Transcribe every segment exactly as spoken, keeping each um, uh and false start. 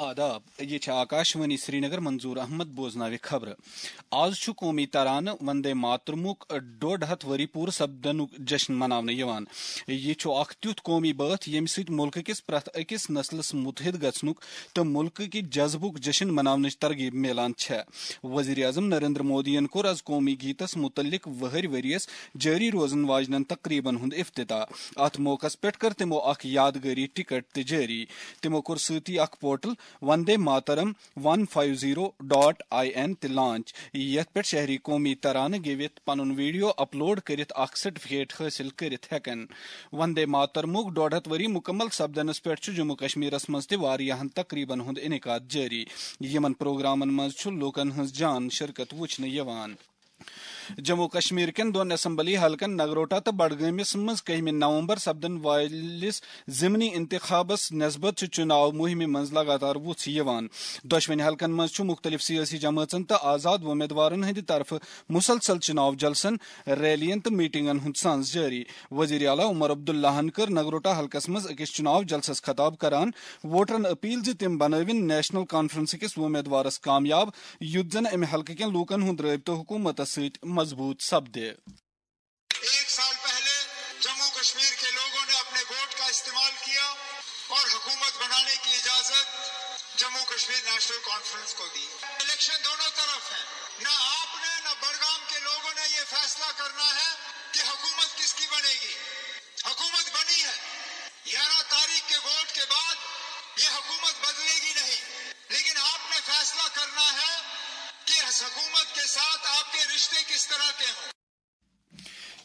آداب، یہِ چھِ آکاشوانی سرینگر، منظور احمد بوزناوِ خبرٕ۔ آز چھُ قومی ترانہٕ وندے ماترمُک ڈۄڈ ہتھ ؤری پوٗرٕ سپدنُک جشن مناونہٕ یِوان۔ یہِ چھُ اکھ تیُتھ قومی بٲتھ، ییٚمہِ سۭتۍ مُلکہٕ کِس پرٛٮ۪تھ أکِس نسلس مُتحد گژھنُک تہٕ مُلکہٕ کہِ جذبُک جشن مناونٕچ ترغیب میلان چھےٚ۔ وزیر اعظم نریندر مودیَن کوٚر از قومی گیتس مُتعلق وُہٕرۍ ؤرۍ یَس جٲری روزن واجنٮ۪ن تقریبن ہُنٛد افتتاح۔ اتھ موقعس پٮ۪ٹھ کٔر تِمو اکھ یادگٲری ٹکٹ تہِ جٲری۔ تِمو کوٚر سۭتی اکھ portal Vande Mataram one five zero dot I N تہِ لانچ، یتھ پٮ۪ٹھ شہری قومی ترانہٕ گیٚوِتھ پنُن ویڈیو اپلوڈ کٔرِتھ اکھ سرٹیفکیٹ حٲصِل کٔرِتھ ہٮ۪کن۔ وندے ماترمُک ڈۄڈ ہتھ ؤری مُکمل سپدنس پٮ۪ٹھ چھُ جموں کشمیرس منٛز تہِ واریاہن تقریبن ہُنٛد انعقاد جٲری۔ یِمن پروگرامن منٛز چھُ لوٗکن ہٕنٛز جان شرکت وُچھنہٕ یِوان۔ جموں کشمیر کٮ۪ن دۄن اسمبلی حلقن نگروٹا تہٕ بڈگٲمِس منٛز کٔہمہِ نومبر سپدن وٲلِس ضمنی انتخابس نسبت چھُ چُناو مُہِمہِ منٛز لگاتار وُژھ یِوان۔ دۄشوٕنی حلقن منٛز چھُ مُختٔلِف سیٲسی جمٲژن تہٕ آزاد وۄمیدوارن ہٕنٛدِ طرفہٕ مُسلسل چُناو جلسن، ریلین تہٕ میٹنگن ہُنٛد سانز جٲری۔ وزیر اعلیٰ عمر عبداللہن کٔر نگروٹا حلقس منٛز أکِس چُناو جلسس خطاب کران ووٹرن اپیل زِ تِم بنٲوِن نیشنل کانفرنس کِس وۄمیدوارس کامیاب، یُتھ زن امہِ حلقہٕ کٮ۪ن لوٗکن ہُنٛد رٲبطہٕ حکوٗمتس سۭتۍ مضبوٗط سپدِ۔ ایک سال پہلے جموں کشمیر کے لوگوں نے اپنے ووٹ کا استعمال کیا اور حکومت بنانے کی اجازت جموں کشمیر نیشنل کانفرنس کو دی۔ الیکشن دونوں طرف ہے، نہ آپ نے نہ بڑگام کے لوگوں نے یہ فیصلہ کرنا ہے کہ حکومت کس کی بنے گی۔ حکومت بنی ہے، گیارہ تاریخ کے ووٹ کے بعد یہ حکومت بدلے گی نہیں، لیکن آپ نے فیصلہ کرنا ہے کہ اس حکومت کے ساتھ آپ کے رشتے کس طرح کے ہوں۔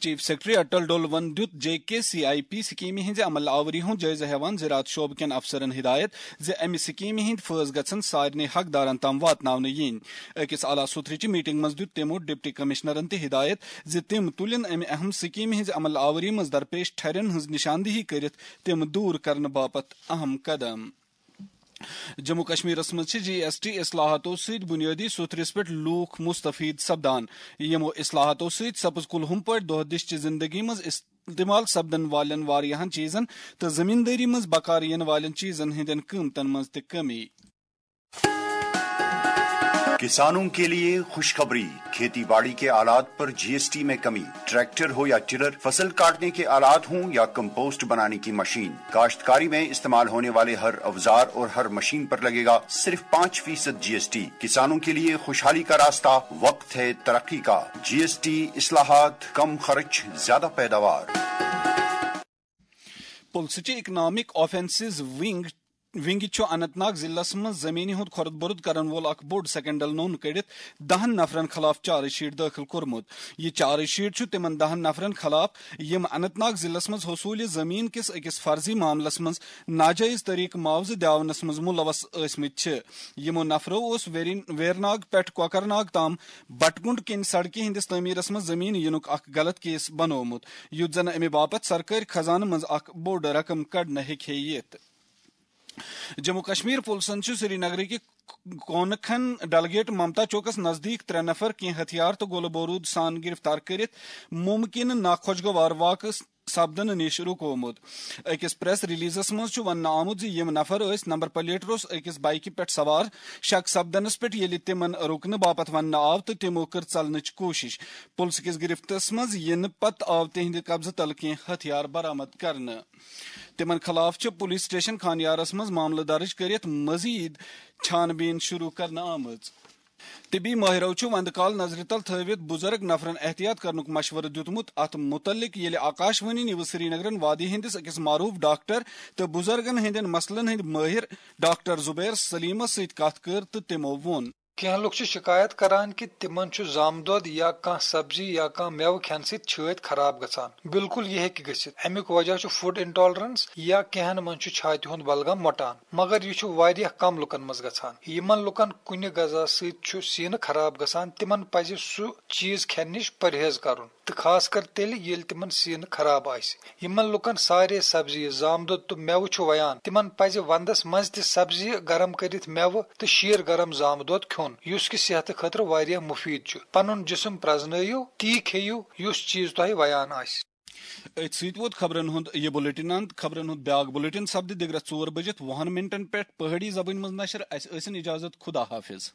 چیف سیکرٹری اٹل ڈولون دیُت J K C I P سکیمہِ ہٕنٛزِ عمل آوری ہُنٛد جٲیزٕ ہٮ۪وان زراعت شعبہٕ کٮ۪ن افسرن ہدایت زِ امہِ سکیمہِ ہٕنٛدۍ فٲیدٕ گژھن سارنٕے حقدارن تام واتناونہٕ یِنۍ۔ أکِس اعلیٰ سُتھرٕچہِ میٹنگ منٛز دیُت تِمو ڈپٹی کمشنرن تہِ ہدایت زِ تِم تُلِن امہِ اہم سکیمہِ ہٕنٛزِ عمل آوری منٛز درپیش ٹھرٮ۪ن ہٕنٛز نشاندہی کٔرِتھ تِم دوٗر کرنہٕ باپتھ اہم قدم۔ جموں کشمیرس منٛز چھِ جی ایس ٹی اصلاحاتو سۭتۍ بنیٲدی سوٚتھرِس پٮ۪ٹھ لوٗکھ مستفید سپدان۔ یِمو اصلاحاتو سۭتۍ سپٕز کُلہُم پٲٹھۍ دۄہ دِش چہِ زندگی منٛز استعمال سپدن والٮ۪ن واریاہن چیزن تہٕ زمیندٲری منٛز بکار یِنہٕ والٮ۪ن چیزن ہٕنٛدٮ۪ن قۭمتن منٛز تہِ کمی۔ کسانوں کے لیے خوشخبری، کھیتی باڑی کے آلات پر جی ایس ٹی میں کمی، ٹریکٹر ہو یا ٹلر، فصل کاٹنے کے آلات ہوں یا کمپوسٹ بنانے کی مشین، کاشتکاری میں استعمال ہونے والے ہر اوزار اور ہر مشین پر لگے گا صرف پانچ فیصد جی ایس ٹی۔ کسانوں کے لیے خوشحالی کا راستہ، وقت ہے ترقی کا۔ جی ایس ٹی اصلاحات، کم خرچ، زیادہ پیداوار۔ پُلسہٕ چہِ اکنامک آفینسز ونگ ونگہِ چھُ اننت ناگ ضلعس منٛز زمینہِ ہُنٛد خۄرد بۄرد کرن وول اکھ بوٚڑ سکینڈل نوٚن کٔڑِتھ دہن نفرن خلاف چارج شیٹ دٲخل کوٚرمُت۔ یہِ چارج شیٹ چھُ تِمن دہن نفرن خلاف، یِم اننت ناگ ضلعس منٛز حصوٗلہِ زمین کِس أکِس فرضی معاملس منٛز ناجٲیز طریقہٕ معاوضہٕ دیاونس منٛز ملوث ٲسمٕتۍ چھِ۔ یِمو نفرو اوس ویرین-، ویرناگ پٮ۪ٹھ کوکرناگ تام بٹگُنڈ کِنۍ سڑکہِ ہٕنٛدِس تعمیرس منٛز زمین یِنُک اکھ غلط کیس بنوومُت، یُتھ زن امہِ باپتھ سرکٲرۍ خزانہٕ منٛز اکھ بوٚڑ رقم کڑنہٕ ہیٚکہِ ہے یِتھ۔ جموں کشمیر پُلسن چھُ سرینگرٕکہِ کونکھن ڈلگیٹ ممتا چوکس نزدیٖک ترٛےٚ نفر کینٛہہ ہتھیار تہٕ گولہٕ بوروٗد سان گرفتار کٔرِتھ مُمکِنہٕ ناخۄشگوار واقعہٕ سپدنہٕ نِش رُکوومُت۔ أکِس پریس ریلیزس منٛز چھُ وننہٕ آمُت زِ یِم نفر ٲسۍ نمبر پلیٹ روٚس أکِس بایکہِ پٮ۪ٹھ سوار۔ شک سپدنس پٮ۪ٹھ ییٚلہِ تِمن رُکنہٕ باپتھ وننہٕ آو تہٕ تِمو کٔر ژلنٕچ کوٗشش۔ پُلسہٕ کِس گرفتس منٛز یِنہٕ پتہٕ آو تِہنٛدِ قبضہٕ تل کینٛہہ ہتھیار برآمد کرنہٕ۔ تِمن خلاف چھِ پُلیٖس سٹیشن خانیارس منٛز معاملہٕ درٕج کٔرِتھ مزید چھان بیٖن شروٗع کرنہٕ آمٕژ۔ طبی مٲہرو چھُ وندٕ کال نظرِ تل تھٲوِتھ بُزرگ نفرن احتیاط کرنُک مشورٕ دیُتمُت۔ اتھ مُتعلق ییٚلہِ آکاشوانی نیوز سرینگرن وادی ہٕنٛدِس أکِس معروٗف ڈاکٹر تہٕ بُزرگن ہٕنٛدٮ۪ن مسلن ہٕنٛدۍ مٲہِر ڈاکٹر زبیر سلیمس سۭتۍ کتھ کٔر تہٕ تِمو ووٚن۔ کینٛہہ لوٗکھ چھِ شِکایت کران کہِ تِمن چھُ زامہٕ دۄد یا کانٛہہ سبزی یا کانٛہہ مٮ۪وٕ کھٮ۪نہٕ سۭتۍ چھٲتۍ خراب گژھان۔ بالکل یہِ ہیٚکہِ گٔژھِتھ۔ اَمیُک وجہ چھُ فوڈ انٹالرنس یا کینٛہَن منٛز چھُ چھاتہِ ہُنٛد بلغم مۄٹان۔ مگر یہِ چھُ واریاہ کم لوٗکن منٛز گژھان۔ یِمن لوٗکن کُنہِ غذا سۭتۍ چھُ سیٖنہٕ خراب گژھان، تِمن پزِ سُہ چیٖز کھٮ۪نہٕ نِش پرہیز کرُن۔ تہٕ خاص کر تیٚلہِ ییٚلہِ تِمن سیٖنہٕ خراب آسہِ۔ یِمن لوٗکن سارے سبزی، زامہٕ دۄد تہٕ مٮ۪وٕ چھُ ویان، تِمن پزِ ونٛدس منٛز تہِ سبزی گرم کٔرِتھ مٮ۪وٕ تہٕ شیٖر گرم زامہٕ دۄد کھیوٚن، یُس کہِ صحتہٕ خٲطرٕ واریاہ مُفیٖد چھُ۔ پنُن جسم پرٛزنٲیِو، تی کھیٚیِو، یُس چیٖز تۄہہِ ویان آسہِ۔ أتھۍ سۭتۍ ووت خبرن ہُنٛد یہِ بُلٹن اند۔ خبرن ہُنٛد بیاکھ بُلٹن سپدِ دِگرس ژور بٔجِتھ وُہن منٹن پٮ۪ٹھ پہٲڑی زبٲنۍ منٛز نشر۔ اسہِ ٲسِن اجازت، خدا حافظ۔